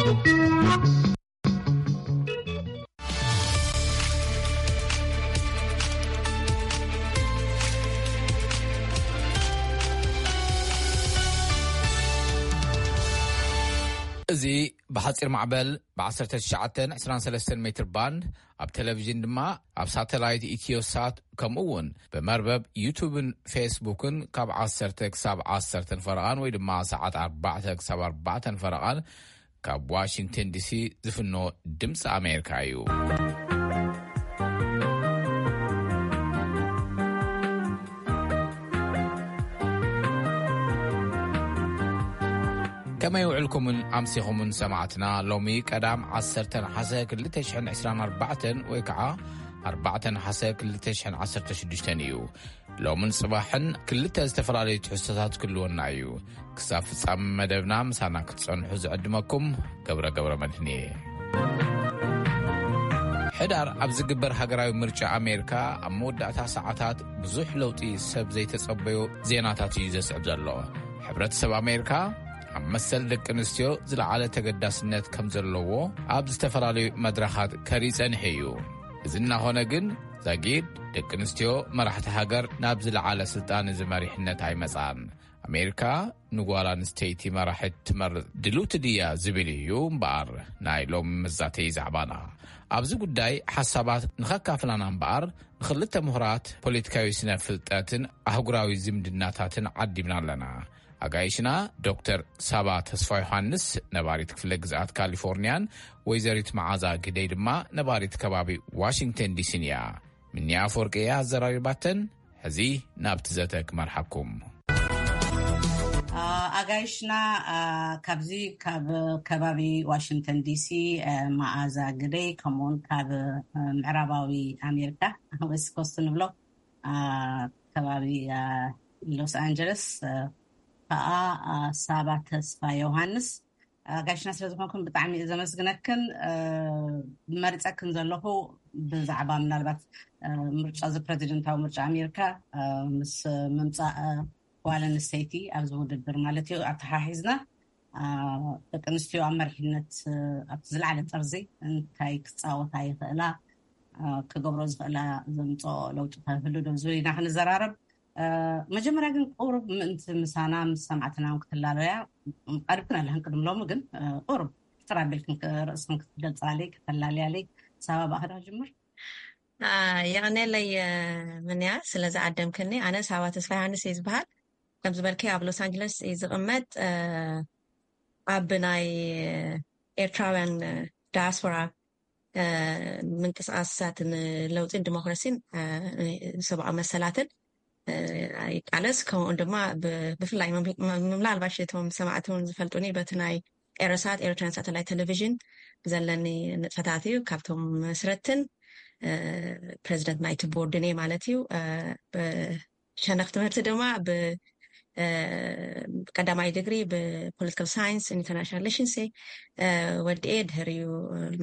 እዚ ብሓጺር ማዕበል ብ19 23 ሜትር ባንድ፣ ኣብ ቴሌቪዥን ድማ ኣብ ሳተላይት ኢትዮሳት፣ ከምኡ እውን ብመርበብ ዩቱብን ፌስቡክን ካብ 10 ክሳብ 10 ፈረቓን ወይ ድማ ሰዓት 4 ክሳብ 4 ፈረቓን ካብ ዋሽንግተን ዲሲ ዝፍኖ ድምፂ ኣሜሪካ እዩ። ከመይ ውዕልኩምን ኣምሲኹምን ሰማዕትና? ሎሚ ቀዳም 10 ነሓሰ 2024 ወይ ከዓ 4 ነሓሰ 2016 እዩ። ሎምን ጽባሕን ክልተ ዝተፈላለዩ ትሕዝቶታት ክህልወና እዩ። ክሳብ ፍጻመ መደብና ምሳና ክትጸንሑ ዝዕድመኩም ገብረ ገብረ መድህን እየ። ሕዳር ኣብ ዝግበር ሃገራዊ ምርጫ ኣሜሪካ ኣብ መወዳእታ ሰዓታት ብዙሕ ለውጢ ሰብ ዘይተጸበዮ ዜናታት እዩ ዘስዕብ ዘሎ። ሕብረተሰብ ኣሜሪካ ኣብ መሰል ደቂ ኣንስትዮ ዝለዓለ ተገዳስነት ከም ዘለዎ ኣብ ዝተፈላለዩ መድረኻት ከርኢ ጸኒሑ እዩ። እዚ እናኾነ ግን ዛጊድ ደቂ ኣንስትዮ መራሕቲ ሃገር ናብ ዝለዓለ ስልጣን እዚ መሪሕነት ኣይመጻን። ኣሜሪካ ንጓል ኣንስተይቲ መራሒት ትመርጽ ድልውቲ ድያ ዝብል እዩ እምበኣር ናይ ሎም መዛተይ ዛዕባና። ኣብዚ ጉዳይ ሓሳባት ንኸካፍላና እምበኣር ንኽልተ ምሁራት ፖለቲካዊ ስነ ፍልጠትን ኣህጉራዊ ዝምድናታትን ዓዲምና ኣለና። ኣጋይሽና ዶክተር ሳባ ተስፋ ዮሃንስ ነባሪት ክፍለ ግዝኣት ካሊፎርኒያን ወይዘሪት መዓዛ ግደይ ድማ ነባሪት ከባቢ ዋሽንግተን ዲሲን እያ። ምንያ ኣፈወርቂ እያ ኣዘራሪባተን። ሕዚ ናብቲ ዘተ ክመርሓኩም። ኣጋይሽና፣ ካብዚ ካብ ከባቢ ዋሽንግተን ዲሲ፣ መዓዛ ግደይ፣ ከምኡውን ካብ ምዕራባዊ ኣሜሪካ፣ ዌስት ኮስት ንብሎ፣ ከባቢ ሎስ ኣንጀለስ ከዓ ሳባ ተስፋ ዮሃንስ። ኣጋይሽና ስለ ዝኾንኩን ብጣዕሚ እየ ዘመስግነክን። መሪፀክን ዘለኹ ብዛዕባ ምናልባት ምርጫ፣ እዚ ፕረዚደንታዊ ምርጫ ኣሜሪካ ምስ ምምፃእ ጓል ኣንስተይቲ ኣብዚ ውድድር ማለት እዩ ኣተሓሒዝና፣ ደቂ ኣንስትዮ ኣብ መሪሕነት ኣብቲ ዝለዓለ ጠርዚ እንታይ ክፃወታ ይኽእላ፣ ክገብሮ ዝኽእላ፣ ዘምፅኦ ለውጢ ከህሉ ዶ ዝብል ኢና ክንዘራረብ። መጀመርያ ግን ቁሩብ ምእንቲ ምሳና ምስ ሰማዕትና እውን ክትላለያ ቀሪብክን ኣለኽን። ቅድሚ ሎሚ ግን ቁሩብ ሕፅር ኣቢልክን ርእስክን ክትገልፃለይ፣ ከተላልያለይ። ሳባ፣ ብኣኻ ዶ ክጅምር? የቐንየለይ ምንያ ስለ ዝዓደምክኒ። ኣነ ሳባ ተስፋ ዮሃንስ እየ ዝበሃል። ከም ዝበልከይ ኣብ ሎስ ኣንጀለስ እየ ዝቕመጥ። ኣብ ናይ ኤርትራውያን ዳያስፖራ ምንቅስቃሳት ንለውጢን ዲሞክራሲን ሰብኣዊ መሰላትን ይቃለስ። ከምኡውን ድማ ብፍላይ ምናልባሽ እቶም ሰማዕቲ እውን ዝፈልጡኒ በቲ ናይ ኤረሳት ኤርትራን ሳተላይት ቴሌቪዥን ብዘለኒ ንጥፈታት እዩ። ካብቶም መስረትን ፕረዚደንት ናይቲ ቦርድን እየ ማለት እዩ። ሸነኽ ትምህርቲ ድማ ብቀዳማይ ዲግሪ ብፖለቲካል ሳይንስ ኢንተርናሽናል ሪሌሽንስ ወዲኤ፣ ድሕሪኡ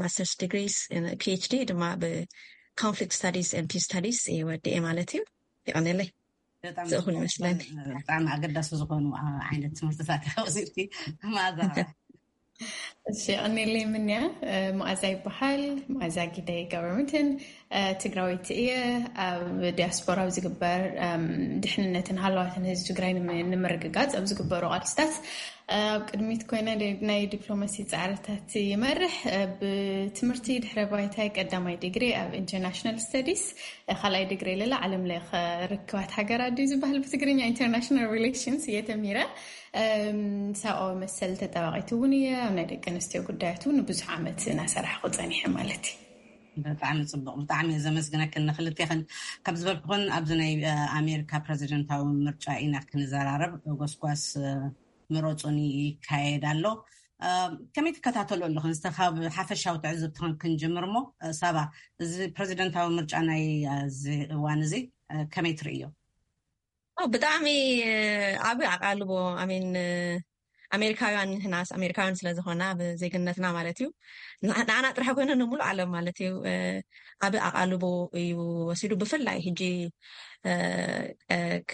ማስተርስ ዲግሪስ፣ ፒኤችዲ ድማ ብኮንፍሊክት ስታዲስ ን ፒስ ስታዲስ ወዲኤ ማለት እዩ። ይቐንለይ። ዝእኹል ይመስለኒ። ብጣዕሚ ኣገዳሲ ዝኾኑ ዓይነት ትምህርትታት ወሲድኪ። ማዛ እሺ፣ ቀኒለይ ምንያ። መኣዛ ይበሃል። መኣዛ ጊደይ ገብረምድህን ትግራወይቲ እየ። ኣብ ዲያስፖራ ኣብ ዝግበር ድሕንነትን ሃለዋትን ህዝቢ ትግራይ ንምርግጋፅ ኣብ ዝግበሩ ቃልስታት ኣብ ቅድሚት ኮይነ ናይ ዲፕሎማሲ ፃዕርታት ይመርሕ። ብትምህርቲ ድሕረ ባይታይ ቀዳማይ ዲግሪ ኣብ ኢንተርናሽናል ስተዲስ፣ ካልኣይ ዲግሪ ለላ ዓለም ለኸ ርክባት ሃገራት ድዩ ዝበሃል ብትግርኛ? ኢንተርናሽናል ሪሌሽንስ እየ ተሚረ። ሰብኣዊ መሰል ተጠባቂት እውን እየ። ኣብ ናይ ደቂ ኣንስትዮ ጉዳያት እውን ብዙሕ ዓመት እናሰራሕኩ ፀኒሐ ማለት እዩ። ብጣዕሚ ፅቡቅ፣ ብጣዕሚ እየ ዘመስግነክን ንክልቴክን። ከም ዝበልኩክን ኣብዚ ናይ ኣሜሪካ ፕረዚደንታዊ ምርጫ ኢና ክንዘራረብ። ጎስጓስ ምረፁኒ ይካየድ ኣሎ። ከመይ ትከታተሉ ኣለኹም? እስተ ካብ ሓፈሻዊ ትዕዝብትኽን ክንጅምር እሞ፣ ሳባ፣ እዚ ፕረዚደንታዊ ምርጫ ናይ እዚ እዋን እዚ ከመይ ትርእዮ? ብጣዕሚ ዓብዪ ኣቓልቦ፣ ኣሜን፣ ኣሜሪካውያን ንሕናስ ኣሜሪካውያን ስለ ዝኾና ብዜግነትና ማለት እዩ፣ ንዓና ጥራሕ ኮይኑ ንሙሉእ ዓለም ማለት እዩ፣ ዓቢ ኣቓልቦ እዩ ወሲዱ። ብፍላይ ሕጂ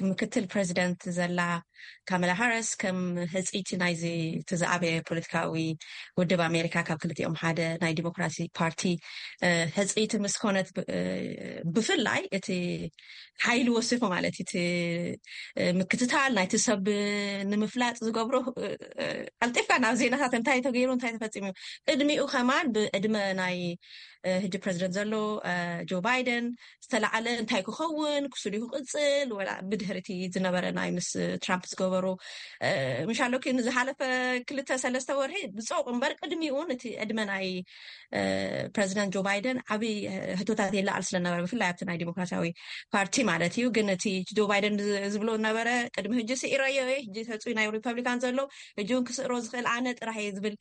ምክትል ፕሬዚደንት ዘላ ካመላ ሃሪስ ከም ህፅይቲ ናይዚ እቲ ዝዓበየ ፖለቲካዊ ውድብ ኣሜሪካ ካብ ክልቲኦም ሓደ ናይ ዲሞክራሲ ፓርቲ ህፅይቲ ምስ ኮነት፣ ብፍላይ እቲ ሓይሊ ወሲኹ ማለት እቲ ምክትታል ናይቲ ሰብ ንምፍላጥ ዝገብሮ፣ ቀልጢፍካ ናብ ዜናታት እንታይ ተገይሩ እንታይ ተፈፂሙ እዩ። ቅድሚኡ ከማን ብዕድመ ናይ ህጂ ፕሬዚደንት ዘሎ ጆ ባይደን ዝተላዓለ እንታይ ክኸውን ክሱዱ ክቅፅል ወላ ብድሕርቲ ዝነበረ ናይ ምስ ትራምፕ ዝገበሩ ምሻሎኪ ንዝሓለፈ ክልተ ሰለስተ ወርሒ ብፀውቅ እምበር ቅድሚኡ እቲ ዕድመ ናይ ፕሬዚደንት ጆ ባይደን ዓብይ ህቶታት የለዓል ስለነበረ ብፍላይ ኣብቲ ናይ ዲሞክራሲያዊ ፓርቲ ማለት እዩ። ግን እቲ ጆ ባይደን ዝብሎ ነበረ ቅድሚ ህጂ ስኢረዮ እየ፣ ህጂ ተፅዩ ናይ ሪፐብሊካን ዘሎ ህጂ እውን ክስእሮ ዝኽእል ኣነ ጥራሕ እየ ዝብል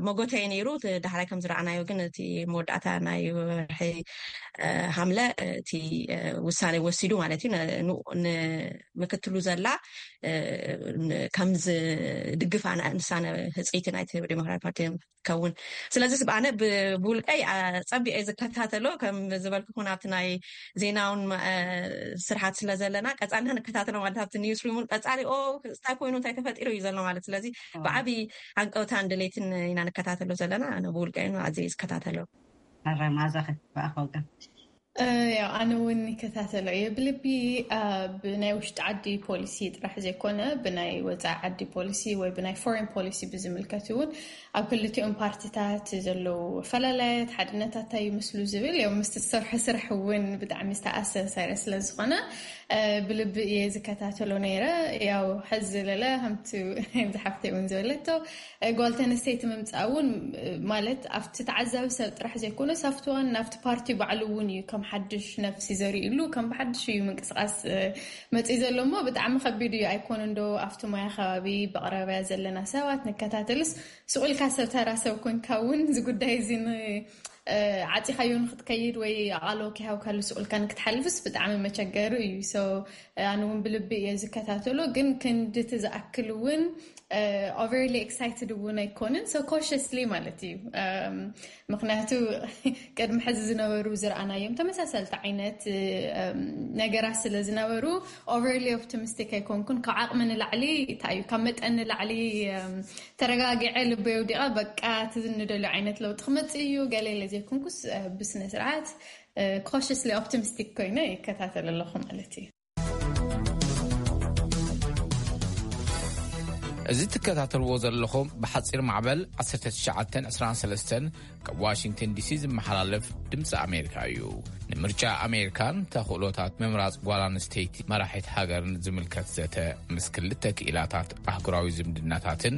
መጎተየ ነይሩ። ዳሕራይ ከም ዝረኣናዮ ግን እቲ መወዳእታ ናይ ወርሒ ሓምለ እቲ ውሳኔ ወሲዱ ማለት እዩ ንምክትሉ ዘላ ከም ዝድግፍ ኣነ ንሳነ ህፅይቲ ናይቲ ዴሞክራቲክ ፓርቲ ከውን። ስለዚ ኣነ ብውልቀይ ፀቢቀ ዝከታተሎ ከም ዝበልኩ ኩን ኣብቲ ናይ ዜናውን ስርሓት ስለ ዘለና ቀፃልና ንከታተሎ ማለት ኣብቲ ኒውስ ሩም እውን ቀፃሊ እንታይ ኮይኑ እንታይ ተፈጢሩ እዩ ዘሎ ማለት ስለዚ ብዓብይ ዓንቀውታን ድሌትን ኢና ንከታተሎ ዘለና። ኣነ ብውልቀይ ኣዘ ዝከታተሎ። ኣረ ማዛ ከትበኣኸውቀ ያው ኣነ እውን ይከታተሎ እየ ብልቢ ብናይ ውሽጢ ዓዲ ፖሊሲ ጥራሕ ዘይኮነ ብናይ ወፃኢ ዓዲ ፖሊሲ ወይ ብናይ ፎሬን ፖሊሲ ብዝምልከት እውን ኣብ ክልቲኦም ፓርቲታት ዘለዉ ኣፈላለያት ሓድነታት እንታይ ይመስሉ ዝብል ያው ምስ ዝሰርሖ ስራሕ እውን ብጣዕሚ ዝተኣሳሰረ ስለዝኾነ ብልቢ እየ ዝከታተሎ ነይረ። ያው ሕዚ ለለ ከምቲ ዝሓፍተይ እውን ዝበለቶ ጓል ተነስተይቲ ምምፃእ እውን ማለት ኣብቲ ተዓዛቢ ሰብ ጥራሕ ዘይኮነስ ኣብቲ ዋና ኣብቲ ፓርቲ ባዕሉ እውን እዩ ከም ሓድሽ ነፍሲ ዘሪእሉ ከም ብሓድሽ እዩ ምንቅስቃስ መፅእ ዘሎ እሞ ብጣዕሚ ከቢድ እዩ ኣይኮነ እንዶ ኣብቲ ሞያ ከባቢ ብቕረብያ ዘለና ሰባት ንከታተልስ ስቑልካ ሰብ ተራ ሰብ ኮንካ እውን እዚ ጉዳይ እዚ ዓፂኻዮ ንክትከይድ ወይ ኣቓሎ ከይሃብካሉ ስቑልካ ንክትሓልፍስ ብጣዕሚ መቸገሪ እዩ። ኣነ እውን ብልቢ እየ ዝከታተሎ ግን ክንድቲ ዝኣክል እውን overly excited እውን ኣይኮንን so cautiously ማለት እዩ። ምክንያቱ ቅድሚ ሕዚ ዝነበሩ ዝረኣናዮም ተመሳሰልቲ ዓይነት ነገራት ስለ ዝነበሩ overly optimistic ኣይኮንኩን። ካብ ዓቕሚ ንላዕሊ እንታይ እዩ ካብ መጠን ንላዕሊ ተረጋጊዐ ልበይ ወዲቐ በቃ እቲ ንደልዮ ዓይነት ለውጢ ክመፅእ እዩ ገለ ኢለ ዘይኮንኩስ ብስነ ስርዓት cautiously optimistic ኮይነ ይከታተል ኣለኹ ማለት እዩ። እዚ ትከታተልዎ ዘለኹም ብሓፂር ማዕበል ዓሰርተ ትሽዓተ ዕስራን ሰለስተን ካብ ዋሽንግተን ዲሲ ዝመሓላለፍ ድምፂ ኣሜሪካ እዩ። ንምርጫ ኣሜሪካን ተኽእሎታት ምምራፅ ጓል ኣንስተይቲ መራሒት ሃገርን ዝምልከት ዘተ ምስ ክልተ ክኢላታት ኣህጉራዊ ዝምድናታትን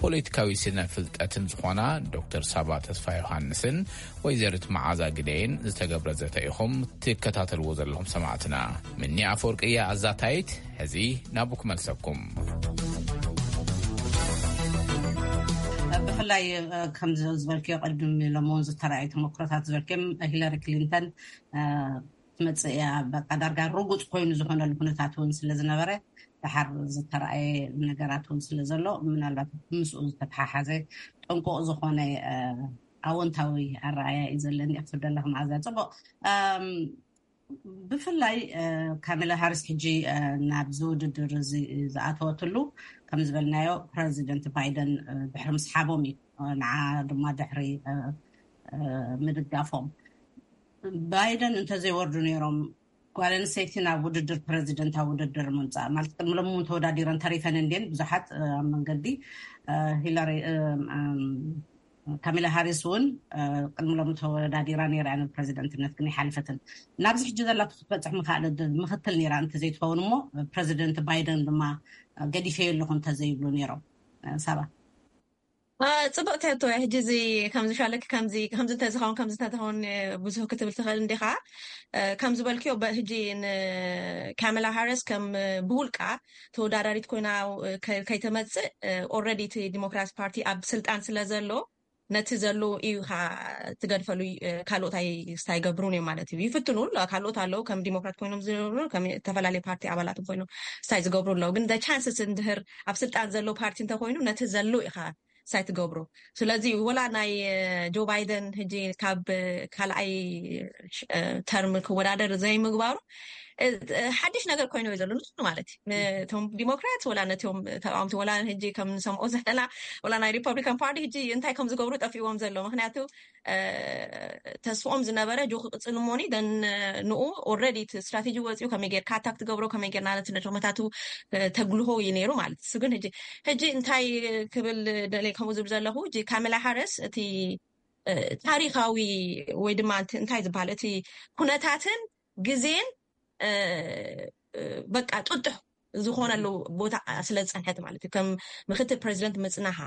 ፖለቲካዊ ስነ ፍልጠትን ዝኾና ዶክተር ሳባ ተስፋ ዮሃንስን ወይዘሪት መዓዛ ግደይን ዝተገብረ ዘተ ኢኹም ትከታተልዎ ዘለኹም ሰማዕትና። ምኒ ኣፈወርቂ እያ ኣዛታይት። ሕዚ ናቡ ክመልሰኩም። ብፍላይ ከምዚ ዝበልክዮ ቅድም ኢሎም እውን ዝተረኣዩ ተመክሮታት ዝበልክዮም ሂለሪ ክሊንተን ትመፅእ እያ በቃ ዳርጋ ርጉፅ ኮይኑ ዝኾነሉ ኩነታት እውን ስለ ዝነበረ ድሓር ዝተረኣየ ነገራት እውን ስለ ዘሎ ምናልባት ምስኡ ዝተተሓሓዘ ጥንቁቕ ዝኾነ ኣወንታዊ ኣረኣያ እዩ ዘለኒ ክትብል ዘለኹ መዓዛ። ፅቡቕ። ብፍላይ ካሜላ ሃሪስ ሕጂ ናብዚ ውድድር እዚ ዝኣተወትሉ ከም ዝበልናዮ ፕረዚደንት ባይደን ድሕሪ ምስሓቦም እዩ ንዓ ድማ ድሕሪ ምድጋፎም። ባይደን እንተዘይወርዱ ነይሮም ጓል ኣንስተይቲ ናብ ውድድር ፕረዚደንታዊ ውድድር ምምፃእ ማለት ቅድሚ ሎም እውን ተወዳዲረን ተሪፈን እንድን ብዙሓት ኣብ መንገዲ ሂላሪ ካሜላ ሃሪስ እውን ቅድሚ ሎም ተወዳዲራ ነይራ ያ ፕረዚደንትነት ግን ይሓልፈትን ናብዚ ሕጂ ዘላቶ ክትበፅሕ ምክኣለ ምክትል ነይራ እንተዘይትኸውን እሞ ፕረዚደንት ባይደን ድማ ገዲፈ የለኹ እንተዘይብሉ ነይሮም። ሳባ ፅቡቅ ትሕቶ ሕጂ እዚ ከምዚ ሻለክ ከምዚ ከምዚ እንተዝኸውን ከምዚ እንተዝኸውን ብዙህ ክትብል ትኽእል እንዲኻ። ከም ዝበልክዮ ሕጂ ንካሜላ ሃሪስ ከም ብውልቃ ተወዳዳሪት ኮይና ከይተመፅእ ኦረዲ እቲ ዲሞክራት ፓርቲ ኣብ ስልጣን ስለ ዘሎ ነቲ ዘሎ እዩ ትገድፈሉ። ካልኦት ኣይስታይ ገብሩን እዮም ማለት እዩ ይፍትኑ። ካልኦት ኣለዉ ከም ዲሞክራት ኮይኖም ዝነብሩ ከም ዝተፈላለዩ ፓርቲ ኣባላት ኮይኖም ስታይ ዝገብሩ ኣለዉ ግን ቻንስስ እንድህር ኣብ ስልጣን ዘሎ ፓርቲ እንተኮይኑ ነቲ ዘሎ ኢኻ ሳይ ትገብሩ። ስለዚ ወላ ናይ ጆ ባይደን ሕጂ ካብ ካልኣይ ተርም ክወዳደር ዘይምግባሩ ሓድሽ ነገር ኮይኑ እዩ ዘሎ ንሱ ማለት እዩ። ነቶም ዲሞክራት ወላ ነቶም ተቃወምቲ ወላ ሕጂ ከም ንሰምዖ ዘለና ወላ ናይ ሪፐብሊካን ፓርቲ ሕጂ እንታይ ከም ዝገብሩ ጠፊዎም ዘሎ። ምክንያቱ ተስፍኦም ዝነበረ ጆ ክቅፅል እሞኒ ደን ንኡ ኦልሬዲ ስትራቴጂ ወፂኡ ከመይ ጌርካ ኣታክ ትገብሮ ከመይ ጌርና ነቲ ነድርመታቱ ተግልሆ እዩ ነይሩ ማለት እሱ ግን ሕጂ እንታይ ክብል ደለ ከምኡ ዝብል ዘለኹ ካሜላ ሃረስ እቲ ታሪካዊ ወይ ድማ እንታይ ዝበሃል እቲ ኩነታትን ግዜን በቃ ጥጡሕ ዝኾነሉ ቦታ ስለ ዝፀንሐት ማለት እዩ ከም ምክትል ፕሬዚደንት ምፅናሓ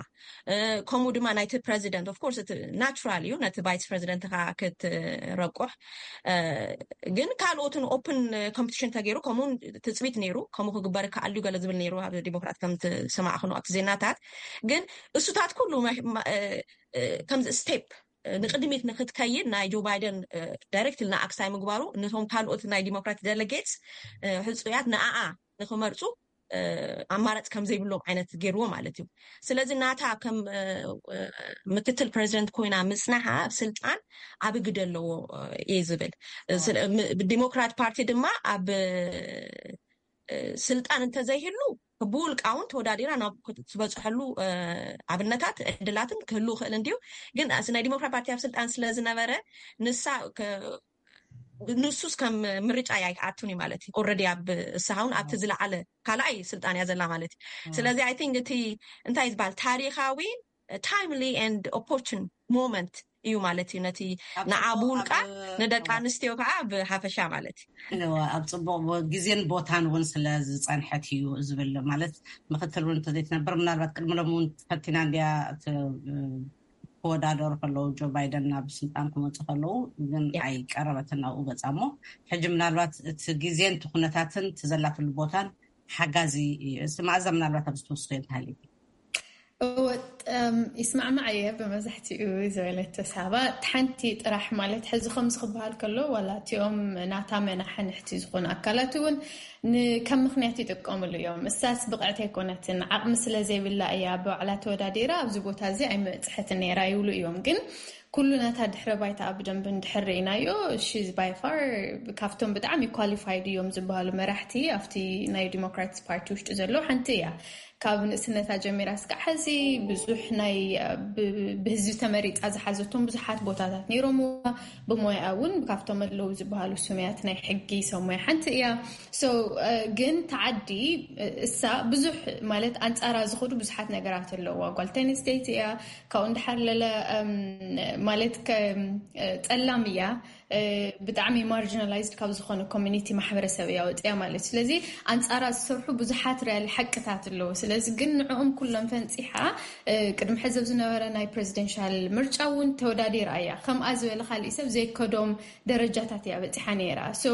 ከምኡ ድማ ናይቲ ፕሬዚደንት ኦፍኮርስ እቲ ናቹራል እዩ ነቲ ቫይስ ፕሬዚደንት ካ ክትረቁሕ ግን ካልኦትን ኦፕን ኮምፒቲሽን ተገይሩ ከምኡ ትፅቢት ነይሩ ከምኡ ክግበር ከኣሉ ገለ ዝብል ነይሩ ኣብ ዲሞክራት ከም ዝሰማዕክኖ ኣብቲ ዜናታት ግን እሱታት ኩሉ ከምዚ ስቴፕ ንቅድሚት ንክትከይድ ናይ ጆ ባይደን ዳይሬክት ንኣክሳይ ምግባሩ ነቶም ካልኦት ናይ ዲሞክራት ደለጌትስ ሕፁያት ንኣኣ ንክመርፁ ኣማራፂ ከም ዘይብሎም ዓይነት ገይርዎ ማለት እዩ። ስለዚ ናታ ከም ምክትል ፕሬዚደንት ኮይና ምፅናሓ ኣብ ስልጣን ዓቢ ግደ ኣለዎ እየ ዝብል። ዲሞክራት ፓርቲ ድማ ኣብ ስልጣን እንተዘይህሉ ብውልቃ እውን ተወዳዲራ ናብ ትበፅሐሉ ኣብነታት ዕድላትን ክህሉ ክእል እንዲዩ ግን ናይ ዲሞክራት ፓርቲ ኣብ ስልጣን ስለዝነበረ ንሳ ንሱስ ከም ምርጫ ኣይኣቱን እዩ ማለት እዩ ኦረዲ ኣብ እሳሃውን ኣብቲ ዝለዓለ ካልኣይ ስልጣን እያ ዘላ ማለት እዩ ስለዚ ኣይ ቲንክ እቲ እንታይ ዝበሃል ታሪካዊ ታይምሊ ን ኦፖርቹን ሞመንት እዩ ማለት እዩ ነቲ ንዓ ብውልቃ ንደቂ ኣንስትዮ ከዓ ብሓፈሻ ማለት እዩ ኣብ ፅቡቅ ግዜን ቦታን እውን ስለ ዝፀንሐት እዩ ዝብል ማለት ምክትል እውን እንተዘይትነብር ምናልባት ቅድሚ ሎም እውን ፈቲና እንዲያ ክወዳደሩ ከለዉ ጆ ባይደን ናብ ስልጣን ክመፁ ከለዉ ግን ኣይቀረበትን ናብኡ ገፃ እሞ ሕጂ ምናልባት እቲ ግዜን እቲ ኩነታትን እቲ ዘላትሉ ቦታን ሓጋዚ እዩ። እስቲ መኣዛ ምናልባት ኣብዚ ትወስዶ እንተሃልዩ። እወ ይስማዕማዕ እየ ብመብዛሕትኡ ዝበለቶ ሳባ ሓንቲ ጥራሕ ማለት ሕዚ ከምዚ ክበሃል ከሎ ዋላ እቲኦም ናታ መናሕንሕቲ ዝኾኑ ኣካላት እውን ከም ምክንያት ይጥቀምሉ እዮም። እሳስ ብቕዕቲ ኣይኮነትን ዓቕሚ ስለ ዘይብላ እያ ብባዕላ ተወዳዲራ ኣብዚ ቦታ እዚ ኣይመፅሐትን ነይራ ይብሉ እዮም። ግን ኩሉ ናታ ድሕረ ባይታ ብደንብ እንድሕር ርኢናዮ she's by far ካብቶም ብጣዕሚ qualified እዮም ዝበሃሉ መራሕቲ ኣብቲ ናይ ዲሞክራትስ ፓርቲ ውሽጢ ዘለዉ ሓንቲ እያ። ካብ ንእስነታ ጀሚራ እስካዕ ሕዚ ብዙሕ ናይ ብህዝቢ ተመሪፃ ዝሓዘቶም ብዙሓት ቦታታት ነይሮምዋ። ብሞያ እውን ካብቶም ኣለዉ ዝበሃሉ ስሙያት ናይ ሕጊ ሰብ ሞያ ሓንቲ እያ። So ግን ተዓዲ እሳ ብዙሕ ማለት ኣንፃራ ዝኸዱ ብዙሓት ነገራት ኣለዋ። ጓል ቴኒስ ስቴት እያ። ካብኡ እንድሓር ለለ ማለት ጸላም እያ። ብጣዕሚ marginalized ካብ ዝኾነ community ማሕበረሰብ እያ ወፅያ ማለት ስለዚ ኣንፃራ ዝሰርሑ ብዙሓት ሪያል ሓቅታት ኣለዉ። ስለዚ ግን ንዕኦም ኩሎም ፈንፂሓ ቅድሚ ሕዚ ኣብ ዝነበረ ናይ presidential ምርጫ እውን ተወዳዲራ እያ። ከምኣ ዝበለ ካሊእ ሰብ ዘይከዶም ደረጃታት እያ በፂሓ ነይራ። So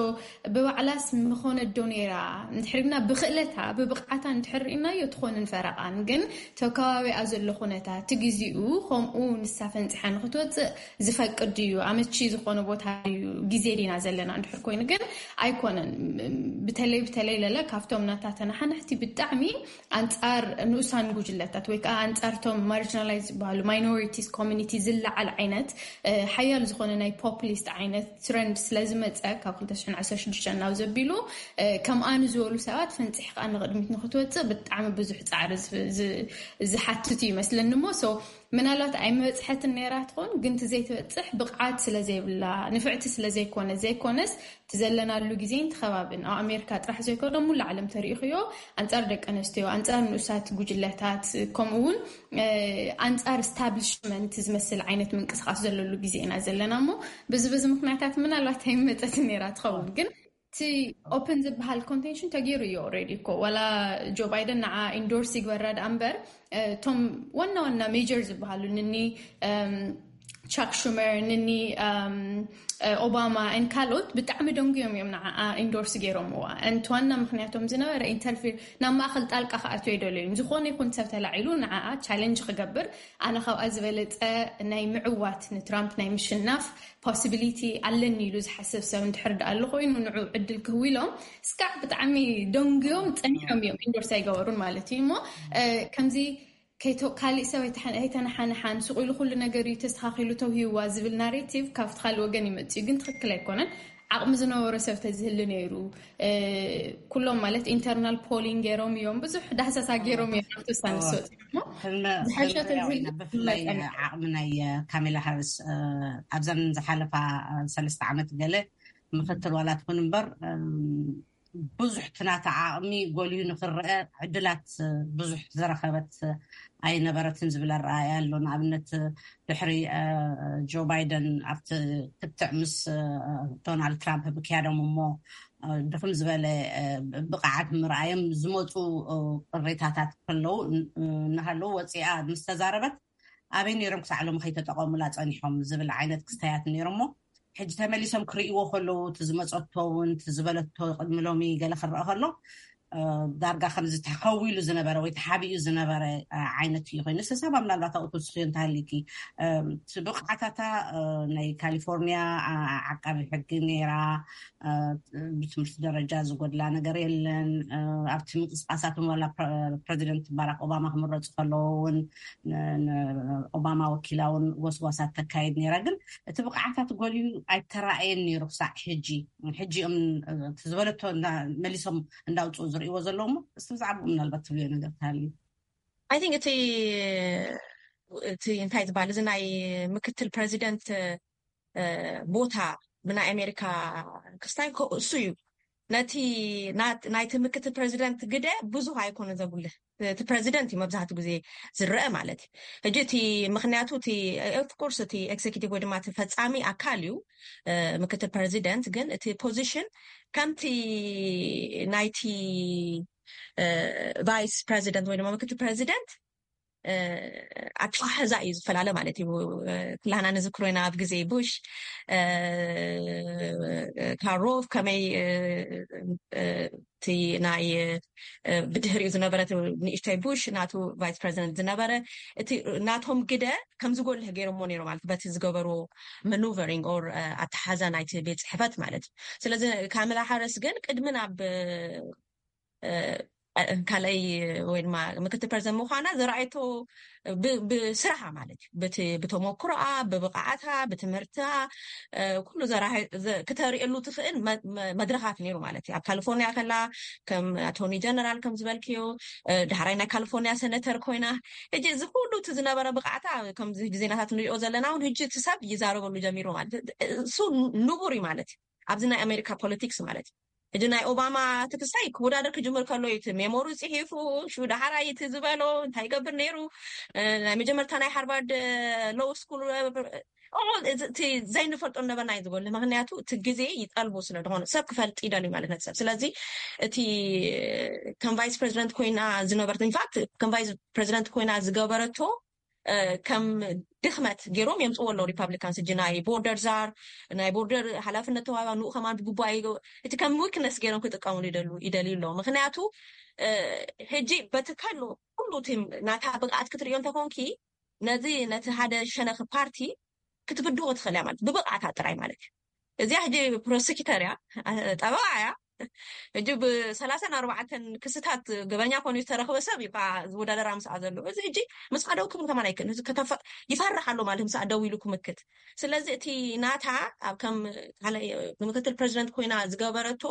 ብባዕላስ ምኾነት ዶ ነይራ? እንድሕር ግና ብክእለታ ብብቕዓታ እንድሕር ርኢናዮ ትኾንን ፈረቓን ግን ተከባቢኣ ዘሎ ኩነታት እቲ ግዜኡ ከምኡ ንሳ ፈንፂሓ ንክትወፅእ ዝፈቅድ ድዩ? ኣመቺ ዝኾነ ቦታ ድዩ? ግዜ ዲና ዘለና እንድሕር ኮይኑ ግን ኣይኮነን። ብተለይ ብተለይ ለለ ካብቶም ናታ ተናሓናሕቲ ብጣዕሚ ኣንፃር ንኡሳን ጉጅለታት ወይ ከዓ ኣንፃርቶም marginalized ዝበሃሉ minorities community ዝለዓል ዓይነት ሓያል ዝኾነ ናይ populist ዓይነት trend ስለዝመፀ ካብ ክልተ ሽሕን ዓሰርተ ሽዱሽተን ናብ ዘቢሉ ከምኣ ንዝበሉ ሰባት ፈንፂሕ ከዓ ንቅድሚት ንክትወፅእ ብጣዕሚ ብዙሕ ፃዕሪ ዝሓትት እዩ ይመስለኒ እሞ ምናልባት ኣይመበፅሐትን ነይራ ትኾን ግን እቲ ዘይትበፅሕ ብቕዓት ስለዘይብላ ንፍዕቲ ስለዘይኮነ ዘይኮነስ እቲ ዘለናሉ ግዜን ትኸባብን ኣብ ኣሜሪካ ጥራሕ ዘይኮነ ሙሉ ዓለም ተሪኢኽዮ ኣንፃር ደቂ ኣንስትዮ ኣንፃር ንኡሳት ጉጅለታት ከምኡ እውን ኣንፃር establishment ዝመስል ዓይነት ምንቅስቃስ ዘለሉ ግዜ ኢና ዘለና እሞ ብዚ በዚ ምክንያታት ምናልባት ኣይመፀትን ነይራ ትኸውን ግን እቲ open ዝበሃል contention ተገይሩ እዩ already እኮ ዋላ ጆ ባይደን ንዓ endorse ይግበራ ደኣ እምበር እቶም ዋና ዋና major ዝበሃሉ ንኒ ቻክ ሹመር ንኒ ኦባማ ን ካልኦት ብጣዕሚ ደንጉዮም እዮም ንዓ endorse ገይሮምዋ። እቲ ዋና ምክንያቶም ዝነበረ interfere ናብ ማእኸል ጣልቃ ክኣትዎ ኣይደለዩን። ዝኾነ ይኹን ሰብ ተላዒሉ ንዓኣ challenge ክገብር ኣነ ካብኣ ዝበለፀ ናይ ምዕዋት ንትራምፕ ናይ ምሽናፍ possibility ኣለኒ ኢሉ ዝሓስብ ሰብ እንድሕር ደኣ ኣሎ ኮይኑ ንዑ ዕድል ክህቡ ኢሎም እስካዕ ብጣዕሚ ደንጉዮም ፀኒሖም እዮም endorse ኣይገበሩን ማለት እዩ እሞ ከምዚ ካሊእ ሰብ ኣይተናሓንሓን ሱቕ ኢሉ ኩሉ ነገር እዩ ተስተኻኺሉ ተውሂዋ ዝብል narrative ካብቲ ካልእ ወገን ይመፅእ እዩ ግን ትኽክል ኣይኮነን። ዓቕሚ ዝነበሮ ሰብ ተዝህሊ ነይሩ። ኩሎም ማለት ኢንተርናል ፖሊንግ ገይሮም እዮም፣ ብዙሕ ዳህሳሳ ገይሮም እዮም ኣብቲ ውሳነ ዝሰጡ። ዝሓሸ ተዝህሊ ብፍላይ ዓቕሚ ናይ ካሜላ ሃርስ ኣብዘን ዝሓለፋ ሰለስተ ዓመት ገለ ምክትል ዋላ ትኹን እምበር ብዙሕ ትናተ ዓቕሚ ጎልዩ ንክረአ ዕድላት ብዙሕ ዝረኸበት ኣይነበረትን ዝብል ኣረኣያ ኣሎ። ንኣብነት ድሕሪ ጆ ባይደን ኣብቲ ክትዕ ምስ ዶናልድ ትራምፕ ምክያዶም እሞ ድኽም ዝበለ ብቕዓት ምርኣዮም ዝመፁ ቅሬታታት ከለዉ እናሃለዉ ወፂኣ ምስ ተዛረበት ኣበይ ነይሮም ክሳዕ ሎሚ ከይተጠቐሙላ ፀኒሖም ዝብል ዓይነት ክስተያት ነይሮሞ ሕጂ ተመሊሶም ክርእይዎ ከለዉ እቲ ዝመፀቶ እውን እቲ ዝበለቶ ቅድሚ ሎሚ ገለ ክረአ ከሎ ዳርጋ ከምዚ ተኸዊሉ ዝነበረ ወይ ተሓቢኡ ዝነበረ ዓይነት እዩ ኮይኑ ሰሳባ ምናልባት ኣብኡ ትውስኽዮ እንተሃሊኪ ብቕዓታታ ናይ ካሊፎርኒያ ዓቃቢ ሕጊ ነይራ። ብትምህርቲ ደረጃ ዝጎድላ ነገር የለን። ኣብቲ ምንቅስቃሳት ዋላ ፕረዚደንት ባራክ ኦባማ ክምረፁ ከለዎ እውን ኦባማ ወኪላ እውን ጎስጓሳት ተካይድ ነይራ። ግን እቲ ብቕዓታት ጎልዩ ኣይተራእየን ነይሩ ክሳዕ ሕጂ። ሕጂ እዮም ዝበለቶ መሊሶም እንዳውፅኡ ዝርእይዎ ዘለዉ። እስቲ ብዛዕባኡ ምናልባት ትብልዮ ነገር ተሃልዩ? I think እቲ እቲ እንታይ ዝበሃል እዚ ናይ ምክትል ፕረዚደንት ቦታ ብናይ ኣሜሪካ ክስታይ እሱ እዩ። ነቲ ናይቲ ምክትል ፕረዚደንት ግደ ብዙሕ ኣይኮነ ዘጉልህ። እቲ ፕረዚደንት እዩ መብዛሕትኡ ግዜ ዝረአ ማለት እዩ። ሕጂ እቲ ምክንያቱ እቲ ኦፍኮርስ እቲ ኤክዘኪቲቭ ወይ ድማ እቲ ፈፃሚ ኣካል እዩ ምክትል ፕረዚደንት፣ ግን እቲ ፖዚሽን ከምቲ ናይቲ ቫይስ ፕረዚደንት ወይ ድማ ምክትል ፕረዚደንት ኣተሓሕዛ እዩ ዝፈላለ ማለት እዩ። ኩላህና ንዝክሮ ኢና ኣብ ግዜ ቡሽ ካሮቭ ከመይ እቲ ናይ ብድህሪኡ ዝነበረ ንእሽተይ ቡሽ ናቱ ቫይስ ፕረዚደንት ዝነበረ እቲ ናቶም ግደ ከም ዝጎልህ ገይሮሞ ነይሮ ማለት በቲ ዝገበርዎ መኑቨሪንግ ኦር ኣተሓዛ ናይቲ ቤት ፅሕፈት ማለት እዩ። ስለዚ ካሜላ ሃሪስ ግን ቅድሚ ናብ ካልኣይ ወይ ድማ ምክትል ፕረዚደንት ምዃና ዘረኣየቶ ብስራሓ ማለት እዩ። ብተመክሮኣ፣ ብብቕዓታ፣ ብትምህርታ ኩሉ ክተርእየሉ ትኽእል መድረኻት ነይሩ ማለት እዩ። ኣብ ካሊፎርኒያ ከላ ከም ኣቶርኒ ጀነራል ከም ዝበልክዮ ዳሕራይ ናይ ካሊፎርኒያ ሰነተር ኮይና ሕጂ እዚ ኩሉ እቲ ዝነበረ ብቕዓታ ከምዚ ሕጂ ዜናታት ንሪኦ ዘለና እውን ሕጂ እቲ ሰብ ይዛረበሉ ጀሚሩ ማለት እሱ ንቡር እዩ ማለት እዩ። ኣብዚ ናይ ኣሜሪካ ፖለቲክስ ማለት እዩ። ሕጂ ናይ ኦባማ ትክስታይ ክወዳደር ክጅምር ከሎ እዩ እቲ ሜሞሩ ፅሒፉ ሹ ዳሓራይ እቲ ዝበሎ እንታይ ይገብር ነይሩ ናይ መጀመርታ ናይ ሃርቫርድ ሎው ስኩል እቲ ዘይንፈልጦ ነበርና እዩ ዝጎል። ምክንያቱ እቲ ግዜ ይጠልቦ ስለዝኮነ ሰብ ክፈልጥ ይደልዩ ማለት ነቲ ሰብ። ስለዚ እቲ ከም ቫይስ ፕረዚደንት ኮይና ዝነበረት ኢንፋክት ከም ቫይስ ፕረዚደንት ኮይና ዝገበረቶ ከም ድክመት ገይሮም የምፅዎ ኣለዉ ሪፓብሊካንስ። እጂ ናይ ቦርደር ዛር ናይ ቦርደር ሓላፍነት ተዋባ ንኡ ከማን ብግቡእ ኣይገ- እቲ ከም ዊክነስ ገይሮም ክጥቀሙሉ ይደሉ ይደልዩ ኣለዉ። ምክንያቱ ሕጂ በቲ ከሉ ኩሉ እቲ ናታ ብቕዓት ክትርእዮ እንተኮንኪ ነዚ ነቲ ሓደ ሸነኺ ፓርቲ ክትብድሆ ትኽእል እያ ማለት ብብቕዓታ ጥራይ ማለት እዩ። እዚኣ ሕጂ ፕሮሲኪተር እያ፣ ጠበቓ እያ። ሕጂ ብሰላሳን ኣርባዕተን ክስታት ገበኛ ኮኑ ዝተረኽበ ሰብ እዩ ከዓ ዝወዳደራ ምስኣ ዘሎ። እዚ ሕጂ ምስኣ ደው ክብል ከማን ኣይክእልን። ይፈርሕ ኣሎ ማለት ምስኣ ደው ኢሉ ክምክት። ስለዚ እቲ ናታ ኣብ ከም ምክትል ፕረዚደንት ኮይና ዝገበረቶ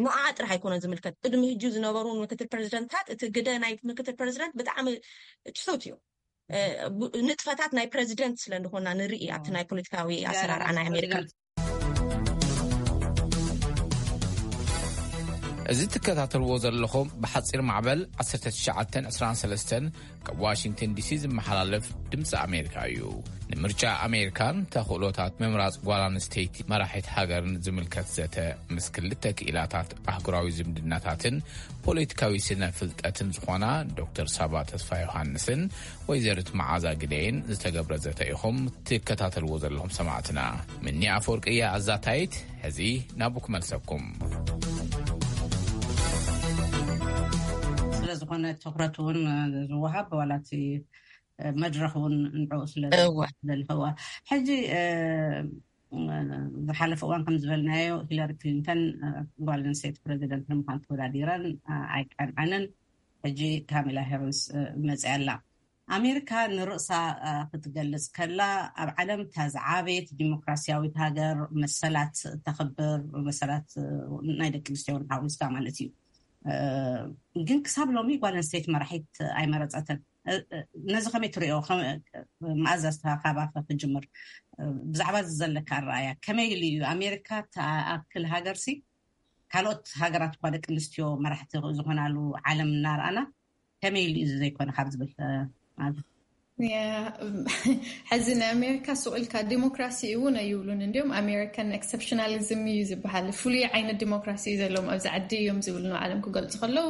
ንዓ ጥራሕ ኣይኮነ ዝምልከት። ቅድሚ ሕጂ ዝነበሩ ምክትል ፕረዚደንትታት እቲ ግደ ናይ ምክትል ፕረዚደንት ብጣዕሚ ትሑት እዩ። ንጥፈታት ናይ ፕረዚደንት ስለ ዝኾና ንርኢ ኣብቲ ናይ ፖለቲካዊ ኣሰራርዓ ናይ ኣሜሪካ። እዚ ትከታተልዎ ዘለኹም ብሓፂር ማዕበል ዓሰርተ ትሽዓተ ዕስራን ሰለስተን ካብ ዋሽንግተን ዲሲ ዝመሓላለፍ ድምፂ ኣሜሪካ እዩ። ንምርጫ ኣሜሪካን ተኽእሎታት ምምራፅ ጓል ኣንስተይቲ መራሒት ሃገርን ዝምልከት ዘተ ምስ ክልተ ክኢላታት ኣህጉራዊ ዝምድናታትን ፖለቲካዊ ስነ ፍልጠትን ዝኾና ዶክተር ሳባ ተስፋ ዮሃንስን ወይዘሪት መዓዛ ግደይን ዝተገብረ ዘተ ኢኹም ትከታተልዎ ዘለኹም ሰማዕትና። ምኒ ኣፈወርቂ እያ ኣዛታይት። ሕዚ ናብኡ ክመልሰኩም። ስለዝኾነ ትኩረት እውን ዝወሃብ ዋላ እቲ መድረኽ እውን ንዕኡ ስለዘለዋ ሕጂ ዝሓለፈ እዋን ከም ዝበልናዮ ሂለሪ ክሊንተን ጓል ኣንስተይቲ ፕረዚደንት ንምዃን ተወዳዲረን ኣይቀንዐንን። ሕጂ ካሜላ ሃሪስ መፅያ ኣላ። ኣሜሪካ ንርእሳ ክትገልጽ ከላ ኣብ ዓለም እታ ዝዓበየት ዲሞክራሲያዊት ሃገር፣ መሰላት ተኽብር፣ መሰላት ናይ ደቂ ኣንስትዮ እውን ሓዊስካ ማለት እዩ። ግን ክሳብ ሎሚ ጓል ኣንስተይቲ መራሒት ኣይመረጸትን። ነዚ ከመይ ትሪኦ? መኣዛ ዝተኻባኸ ክጅምር፣ ብዛዕባ እዚ ዘለካ ኣረኣያ ከመይ ኢሉ እዩ? ኣሜሪካ ተኣክል ሃገርሲ ካልኦት ሃገራት እኳ ደቂ ኣንስትዮ መራሕቲ ዝኾናሉ ዓለም እናረኣና፣ ከመይ ኢሉ እዩ ዘይኮነ ካብ ዝብል ማለት ሕዚ ንኣሜሪካ ሱቕ ኢልካ ዲሞክራሲ እውን ኣይብሉን። እንዲም ኣሜሪካን ኤክሰፕሽናሊዝም እዩ ዝበሃል። ፍሉይ ዓይነት ዲሞክራሲ እዩ ዘለዎም ኣብዚ ዓዲ እዮም ዝብል ንባዕሎም ክገልፁ ከለዉ፣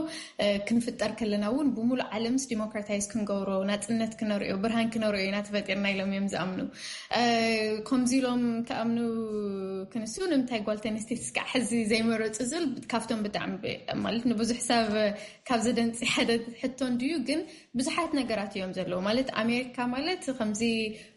ክንፍጠር ከለና እውን ብሙሉእ ዓለምስ ዲሞክራታይዝ ክንገብሮ፣ ናፅነት ክነርእዮ፣ ብርሃን ክነርእዮ ኢና ተፈጢርና ኢሎም እዮም ዝኣምኑ። ከምዚ ኢሎም ክኣምኑ ክንሱ ንምንታይ ጓል ተንስቴት እስካዕ ሕዚ ዘይመረፁ ዝብል ካብቶም ብጣዕሚ ማለት ንብዙሕ ሰብ ካብ ዘደንፂ ሓደ ሕቶ እንድዩ። ግን ብዙሓት ነገራት እዮም ዘለዉ። ማለት ኣሜሪካ ማለት ከምዚ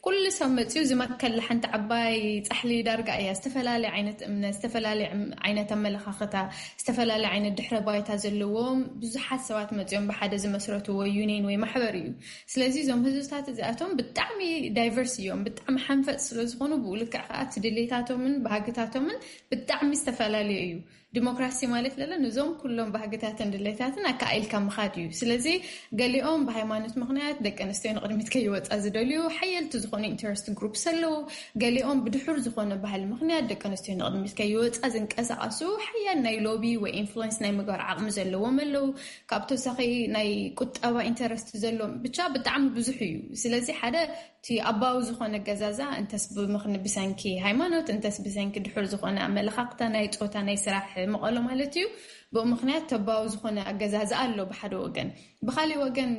ኩሉ ሰብ መፅዩ ዝመከል ሓንቲ ዓባይ ፃሕሊ ዳርጋ እያ። ዝተፈላለየ ዓይነት እምነት፣ ዝተፈላለየ ዓይነት ኣመለኻኽታ፣ ዝተፈላለየ ዓይነት ድሕረ ባይታ ዘለዎም ብዙሓት ሰባት መፅዮም ብሓደ ዝመስረትዎ ዩኒየን ወይ ማሕበር እዩ። ስለዚ እዞም ህዝብታት እዚኣቶም ብጣዕሚ ዳይቨርስ እዮም። ብጣዕሚ ሓንፈፅ ስለዝኾኑ ብኡ ልክዕ ከዓ እቲ ድሌታቶምን ባህግታቶምን ብጣዕሚ ዝተፈላለዩ እዩ። ዲሞክራሲ ማለት ለለ ንዞም ኩሎም ባህግታትን ድሌታትን ኣካኢልካ ምኻድ እዩ። ስለዚ ገሊኦም ብሃይማኖት ምኽንያት ደቂ ኣንስትዮ ንቕድሚት ከይወፃ ዝደልዩ ሓየልቲ ዝኾኑ ኢንተረስት ግሩፕስ ኣለዉ። ገሊኦም ብድሑር ዝኾነ ባህሊ ምኽንያት ደቂ ኣንስትዮ ንቕድሚት ከይወፃ ዝንቀሳቐሱ ሓያል ናይ ሎቢ ወይ ኢንፍሉንስ ናይ ምግባር ዓቕሚ ዘለዎም ኣለዉ። ካብ ተወሳኺ ናይ ቁጠባ ኢንተረስት ዘለዎም ብቻ ብጣዕሚ ብዙሕ እዩ። ስለዚ ሓደ እቲ ኣባዊ ዝኾነ ገዛዛ እንተስ ብምኽን ብሰንኪ ሃይማኖት እንተስ ብሰንኪ ድሑር ዝኾነ ኣመለኻኽታ ናይ ፆታ ናይ ስራሕ መቐሎ ማለት እዩ። ብኡ ምኽንያት ተባዊ ዝኾነ ኣገዛዛ ኣሎ ብሓደ ወገን። ብካሊእ ወገን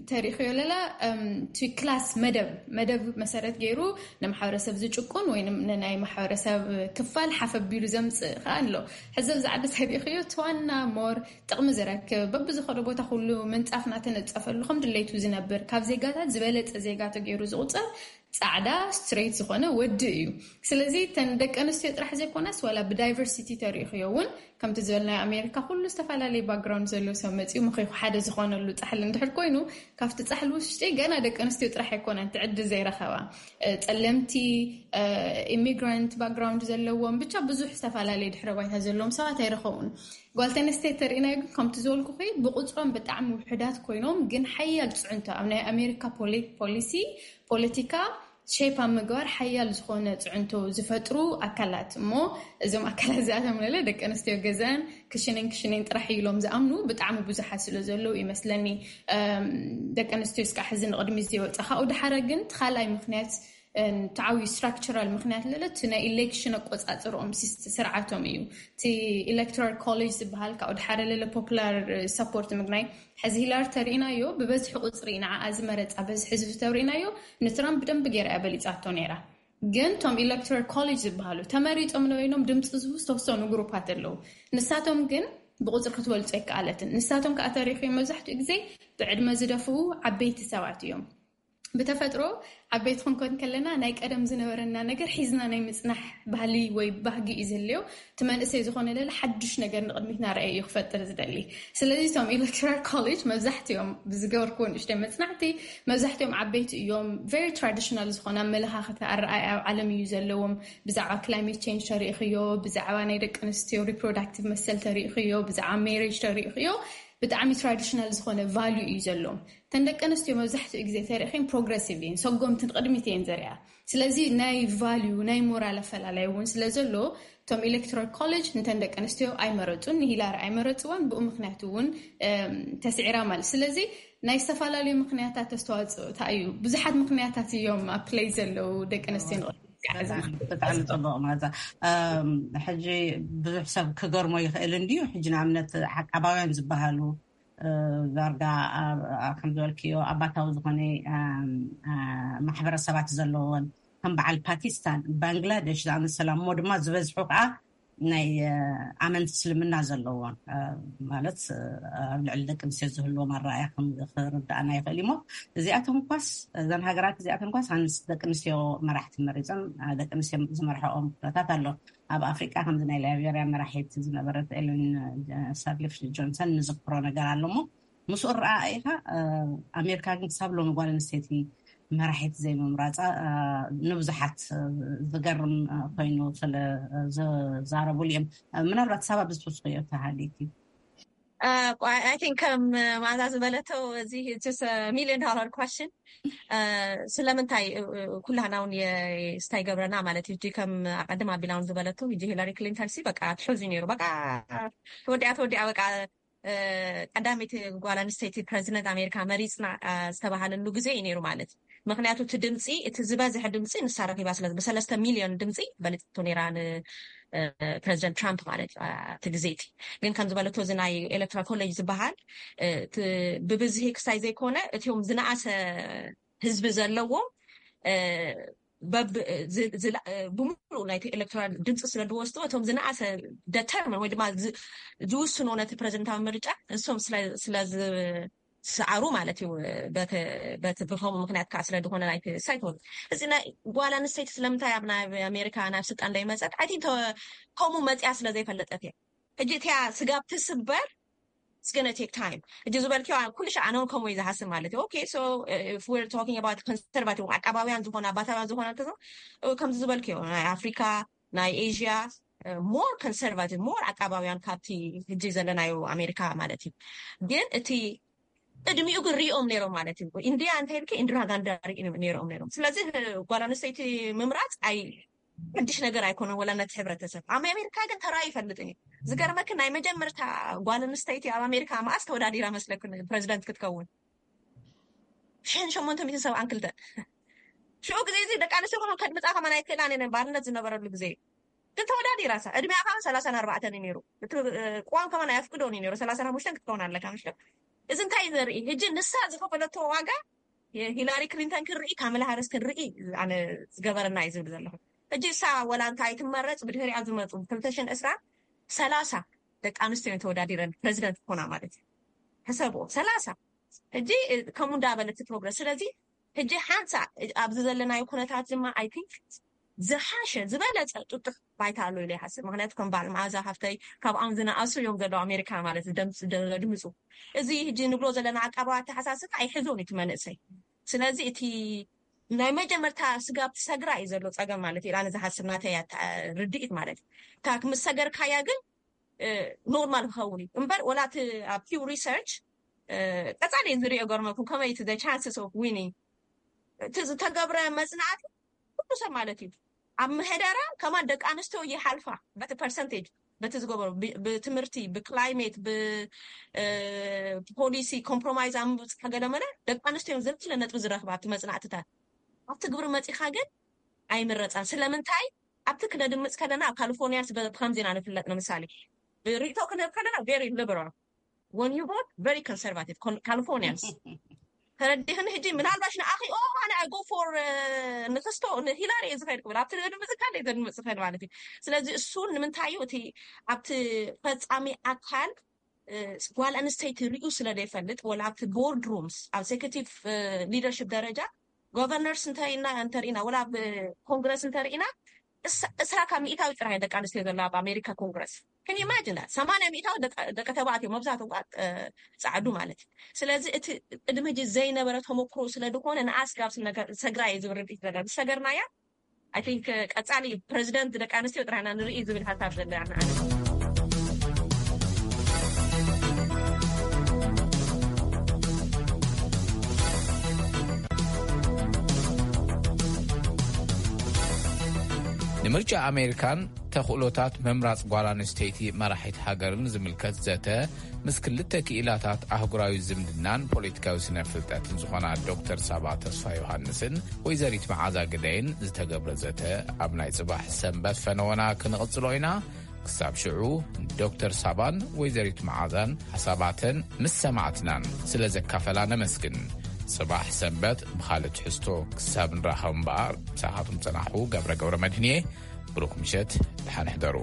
ተሪኽዮ ለላ እቲ ክላስ መደብ መደብ መሰረት ገይሩ ንማሕበረሰብ ዝጭቁን ወይ ንናይ ማሕበረሰብ ክፋል ሓፈቢሉ ዘምፅእ ከዓ ኣሎ። ሕዚ ኣብዚ ዓዲ ተሪኽዮ ተዋና ሞር ጥቕሚ ዝረክብ በብዝኸዶ ቦታ ኩሉ ምንፃፍ ናተነፀፈሉ ከም ድሌቱ ዝነብር ካብ ዜጋታት ዝበለፀ ዜጋ ተገይሩ ዝቁፀር ፃዕዳ ስትሬት ዝኾነ ወዲ እዩ። ስለዚ ተን ደቂ ኣንስትዮ ጥራሕ ዘይኮነስ ዋላ ብዳይቨርሲቲ ተሪእኽዮ እውን ከምቲ ዝበልናዮ ኣሜሪካ ኩሉ ዝተፈላለዩ ባክግራውንድ ዘለዎ ሰብ መፂኡ ምኺኹ ሓደ ዝኾነሉ ፃሕሊ እንድሕር ኮይኑ ካብቲ ፃሕሊ ውሽጢ ገና ደቂ ኣንስትዮ ጥራሕ ኣይኮነን ትዕድል ዘይረኸባ ጸለምቲ ኢሚግራንት ባክግራውንድ ዘለዎም ብቻ ብዙሕ ዝተፈላለዩ ድሕረ ባይታ ዘለዎም ሰባት ኣይረኸቡን። ጓል ተነስተይቲ ተርእናዮ ግን ከምቲ ዝበልኩኺ ብቁፅሮም ብጣዕሚ ውሕዳት ኮይኖም ግን ሓያል ፅዕንቶ ኣብ ናይ ኣሜሪካ ፖሊሲ ፖለቲካ ሼፕ ኣብ ምግባር ሓያል ዝኾነ ፅዕንቶ ዝፈጥሩ ኣካላት እሞ እዞም ኣካላት እዚኣቶም ለለ ደቂ ኣንስትዮ ገዛን ክሽንን ክሽንን ጥራሕ ኢሎም ዝኣምኑ ብጣዕሚ ብዙሓት ስለ ዘለዉ ይመስለኒ። ደቂ ኣንስትዮ እስካ ሕዚ ንቕድሚ ዝወፀ ካብኡ ድሓረ ግን እቲ ካልኣይ ምክንያት ተዓብዩ ስትራክቸራል ምክንያት ለለ እቲ ናይ ኢሌክሽን ኣቆፃፅርኦም ስርዓቶም እዩ። እቲ ኤሌክቶራል ኮሌጅ ዝበሃል ካብኡ ድሓረ ለለ ፖፑላር ሰፖርት ምግናይ ሕዚ ሂላሪ ተሪኢናዮ ብበዝሒ ቁፅሪ ንዓኣ ዝመረፃ በዝሒ ህዝቢ ተሪኢናዮ ንትራምፕ ብደንቢ ገይራ እያ በሊፃቶ ነይራ። ግን እቶም ኤሌክቶራል ኮሌጅ ዝበሃሉ ተመሪፆም ነበይኖም ድምፂ ዝህቡ ዝተወሰኑ ግሩፓት ኣለዉ። ንሳቶም ግን ብቁፅሪ ክትበልፆ ኣይከኣለትን። ንሳቶም ከዓ ተሪኺ መብዛሕትኡ ግዜ ብዕድመ ዝደፍኡ ዓበይቲ ሰባት እዮም። ብተፈጥሮ ዓበይቲ ክንኮን ከለና ናይ ቀደም ዝነበረና ነገር ሒዝና ናይ ምፅናሕ ባህሊ ወይ ባህጊ እዩ ዝህልዮ። እቲ መንእሰይ ዝኾነ ለለ ሓዱሽ ነገር ንቕድሚት ናርኣየ እዩ ክፈጥር ዝደሊ። ስለዚ እቶም ኤሌክቶራል ኮሌጅ መብዛሕትኦም ብዝገበርክዎ ንእሽተይ መፅናዕቲ መብዛሕትኦም ዓበይቲ እዮም። ቨሪ ትራዲሽናል ዝኾነ ኣመለኻኽታ ኣረኣያ ኣብ ዓለም እዩ ዘለዎም። ብዛዕባ ክላይሜት ቼንጅ ተሪእኽዮ፣ ብዛዕባ ናይ ደቂ ኣንስትዮ ሪፕሮዳክቲቭ መሰል ተሪእኽዮ፣ ብዛዕባ ሜሬጅ ተሪእኽዮ ብጣዕሚ ትራዲሽናል ዝኾነ ቫልዩ እዩ ዘለዎም። ተን ደቂ ኣንስትዮ መብዛሕትኡ ግዜ ተሪእኽን ፕሮግረሲቭ እየን፣ ሰጎምቲ ንቕድሚት እየን ዘሪኣ። ስለዚ ናይ ቫልዩ ናይ ሞራል ኣፈላላይ እውን ስለ ዘሎ እቶም ኤሌክቶራል ኮሌጅ ንተን ደቂ ኣንስትዮ ኣይመረፁን፣ ንሂላሪ ኣይመረፅዋን። ብኡ ምክንያት እውን ተስዒራ ማለት ስለዚ ናይ ዝተፈላለዩ ምክንያታት ተስተዋፅኦ እንታይ እዩ? ብዙሓት ምክንያታት እዮም ኣብ ፕለይ ዘለዉ ደቂ ኣንስትዮ ንቕድሚት ብጣዕሚ ፅቡቕ ማዛ። ሕጂ ብዙሕ ሰብ ክገርሞ ይኽእል እንድዩ። ሕጂ ንኣብነት ዓቃባውያን ዝበሃሉ ዳርጋ ከም ዝበልክዮ ኣባታዊ ዝኾነ ማሕበረሰባት ዘለዎን ከም በዓል ፓኪስታን፣ ባንግላደሽ ዝኣመሰላ እሞ ድማ ዝበዝሑ ከዓ ናይ ኣመንቲ እስልምና ዘለዎን ማለት ኣብ ልዕሊ ደቂ ኣንስትዮ ዝህልዎም ኣረኣያ ክርዳእና ይኽእል እሞ እዚኣቶም ኳስ እዘን ሃገራት እዚኣቶም ኳስ ኣንስ ደቂ ኣንስትዮ መራሕቲ መሪፀን ደቂ ኣንስትዮ ዝመርሐኦም ኩነታት ኣሎ። ኣብ ኣፍሪቃ ከምዚ ናይ ላይቤርያ መራሒት ዝነበረት ኤለን ሳርሊፍ ጆንሰን ንዝክሮ ነገር ኣሎ እሞ ምስኡ ረኣኢኻ። ኣሜሪካ ግን ክሳብ ሎሚ ጓል ኣንስተይቲ መራሒት ዘይምምራፃ ንብዙሓት ዝገርም ኮይኑ ስለ ዝዛረቡሉ እዮም። ምናልባት ሳባ ብዝትወስኮዮ ተሃሊቲ I think ከም ማዛ ዝበለቶ እዚ ሚሊዮን ዶላር ኳሽን ስለምንታይ ኩላህና እውን ስታይ ገብረና ማለት እዩ። ከም ኣቀድም ኣቢላውን ዝበለቶ ሂላሪ ክሊንተን ሲ በቃ ትሕዙ ነይሩ። በቃ ተወዲኣ ተወዲኣ በቃ ቀዳሚት ጓል ኣንስተይቲ ፕረዚደንት ኣሜሪካ መሪፅና ዝተባሃለሉ ግዜ እዩ ነይሩ ማለት እዩ። ምክንያቱ እቲ ድምፂ እቲ ዝበዝሐ ድምፂ ንሳ ረኪባ ስለ ብሰለስተ ሚሊዮን ድምፂ በሊፅቶ ነይራ ንፕረዚደንት ትራምፕ ማለት እዩ። እቲ ግዜ እቲ ግን ከም ዝበለቶ እዚ ናይ ኤሌክትራል ኮሌጅ ዝበሃል ብብዝሂ ክሳይ ዘይኮነ እቲዮም ዝነኣሰ ህዝቢ ዘለዎም ብምሉእ ናይቲ ኤሌክቶራል ድምፂ ስለ ዝወስዱ እቶም ዝነኣሰ ደተርመን ወይ ድማ ዝውስኖ ነቲ ፕረዚደንታዊ ምርጫ ንሶም ስለ ዝሰዓሩ ማለት እዩ። በቲ ብከምኡ ምክንያት ከዓ ስለ ዝኾነ ናይቲ ሳይት እዚ ናይ ጓል ኣንስተይቲ ስለምንታይ ኣብ ናይ ኣሜሪካ ናብ ስልጣን እንዳይመፀት ኣይ ከምኡ መፅያ ስለ ዘይፈለጠት እያ። ሕጂ እቲያ ስጋብ ትስበር it's gonna take time። ሕጂ ዝበልክዮ ኩሉ ሻዕ ኣነ እውን ከምኡ እዩ ዝሓስብ ማለት እዩ። Okay, so if we're talking about conservative ዓቃባውያን ዝኾነ ኣባታውያን ዝኾነ እንተዞ ከምዚ ዝበልክዮ ናይ ኣፍሪካ ናይ ኤዥያ more conservative more ዓቃባውያን ካብቲ ሕጂ ዘለናዮ ኣሜሪካ ማለት እዩ። ግን እቲ ቅድሚኡ ግን ሪኦም ነይሮም ማለት እዩ። ኢንድያ እንተልክ ኢንድራ ጋንዳ ሪኦም ነይሮም ነይሮም ስለዚ ጓል ኣንስተይቲ ምምራፅ ኣይ ሓድሽ ነገር ኣይኮነን ወላ ነቲ ሕብረተሰብ ኣብ ኣሜሪካ ግን ተራዩ ይፈልጥን እዩ። ዝገርመክ ናይ መጀመርታ ጓል ኣንስተይቲ ኣብ ኣሜሪካ መኣስ ተወዳዲራ መስለክ ፕረዚደንት ክትከውን ሽሕን ሸሞንተ ሚእትን ሰብዓን ክልተን ሽዑ ግዜ እዚ ደቂ ኣንስትዮ ከማን ከድምፃ ከማን ኣይክእላን እየን ባርነት ዝነበረሉ ግዜ ግን ተወዳዲራ ሳ እድሜኣ ከማን ሰላሳን ኣርባዕተን እዩ ነይሩ። እቲ ቅዋም ከማን ኣየፍቅዶን እዩ ነይሩ ሰላሳን ሓሙሽተን ክትከውን ኣለካ ምሽ እዚ እንታይ እዩ ዘርኢ ሕጂ ንሳ ዝኸፈለቶ ዋጋ ሂላሪ ክሊንተን ክንርኢ ካመላ ሃሪስ ክንርኢ ኣነ ዝገበረና እዩ ዝብል ዘለኹ። ሕጂ እሳ ወላ እንታይ ትመረፅ ብድሕሪኣ ዝመፁ ክልተ ሽሕን ዕስራን ሰላሳ ደቂ ኣንስትዮ ተወዳዲረን ፕረዚደንት ክኾና ማለት እዩ። ሕሰብዎ ሰላሳ ሕጂ ከምኡ እንዳበለት ፕሮግረስ ስለዚ ሕጂ ሓንሳ ኣብዚ ዘለናዮ ኩነታት ድማ ኣይ ቲንክ ዝሓሸ ዝበለፀ ጥጡሕ ባይታ ኣሎ ኢለ ይሓስብ። ምክንያቱ ከም በዓል መዓዛ ሃፍተይ ካብኣም ዝነኣሱ እዮም ዘለዉ ኣሜሪካ ማለት ደምፅ ዘድምፁ እዚ ሕጂ ንብሎ ዘለና ዓቃባዊ ኣተሓሳስብ ኣይሕዞን እቲ መንእሰይ። ስለዚ እቲ ናይ መጀመርታ ስጋብ ትሰግራ እዩ ዘሎ ፀገም ማለት እዩ። ኣነ ዝሓስብ ናተይ ርድኢት ማለት እዩ። እታ ምስ ሰገርካያ ግን ኖርማል ክኸውን እዩ እምበር ወላ እቲ ኣብ ፒው ሪሰርች ቀፃሊ ዝሪኦ ገርመኩም ከመይ እቲ ቻንስስ ኦፍ ዊኒንግ እቲ ዝተገብረ መፅናዕቲ ኩሉ ሰብ ማለት እዩ ኣብ ምሕደራ ከማን ደቂ ኣንስትዮ ይሓልፋ በቲ ፐርሰንቴጅ በቲ ዝገበሩ ብትምህርቲ ብክላይሜት ብፖሊሲ ኮምፕሮማይዝ ኣብ ምብፅሕ ገለመለ ደቂ ኣንስትዮ ዝለዓለ ነጥቢ ዝረክባ ኣብቲ መፅናዕትታት ኣብቲ ግብሪ መፂኻ ግን ኣይምረፃን ስለምንታይ ኣብቲ ክነድምፅ ከለና ኣብ ካሊፎርኒያንስ ብከምዚ ኢና ንፍለጥ ንምሳሌ ብሪቶ ክንህብ ከለና very liberal when you vote very conservative Californians ተረዲኽኒ ሕጂ ምናልባሽ ንኣኺ ኦ ኣነ I go for ንክስቶ ንሂላሪ እየ ዝኸይድ ክብል ኣብቲ ድምፅ ካለ ዘድምፅ ክኸይድ ማለት እዩ። ስለዚ እሱ ንምንታይ እዩ እቲ ኣብቲ ፈፃሚ ኣካል ጓል ኣንስተይቲ ሪኡ ስለ ዘይፈልጥ ወላ ኣብቲ ቦርድ ሩምስ ኣብ ኤክዜኪቲቭ ሊደርሽፕ ደረጃ ጎቨርነርስ እንተሪኢና እንተሪኢና ወላ ኣብ ኮንግረስ እንተሪኢና እስራ ካብ ሚእታዊ ጥራይ ደቂ ኣንስትዮ ዘለዋ ኣብ ኣሜሪካ ኮንግረስ can you imagine ሰማንያ ሚእታዊ ደቂ ተባዕትዮ መብዛሕትኡ ፃዕዱ ማለት እዩ። ስለዚ እቲ ቅድሚ ሕጂ ዘይነበረ ተመክሮ ስለ ዝኾነ ንኣስጋብ ሰግራ እየ ዝብል ርድኢት ዘለ ዝሰገርናያ I think ቀፃሊ ፕረዚደንት ደቂ ኣንስትዮ ጥራሕና ንርኢ ዝብል ሓሳብ ዘለና ንምርጫ ኣሜሪካን ተኽእሎታት ምምራፅ ጓል ኣንስተይቲ መራሒት ሃገርን ዝምልከት ዘተ ምስ ክልተ ክኢላታት ኣህጉራዊ ዝምድናን ፖለቲካዊ ስነ ፍልጠትን ዝኾና ዶክተር ሳባ ተስፋ ዮሃንስን ወይዘሪት መዓዛ ግደይን ዝተገብረ ዘተ ኣብ ናይ ፅባሕ ሰንበት ፈነወና ክንቕፅሎ ኢና። ክሳብ ሽዑ ዶክተር ሳባን ወይዘሪት መዓዛን ሓሳባተን ምስ ሰማዕትናን ስለ ዘካፈላ ነመስግን። ፅባሕ ሰንበት ብኻልእ ትሕዝቶ ክሳብ ንራኸብ እምበኣር ምሳኻትኩም ፀናሕኹ ገብረ ገብረ መድህንየ። ብሩኽ ምሸት ድሓን ሕደሩ።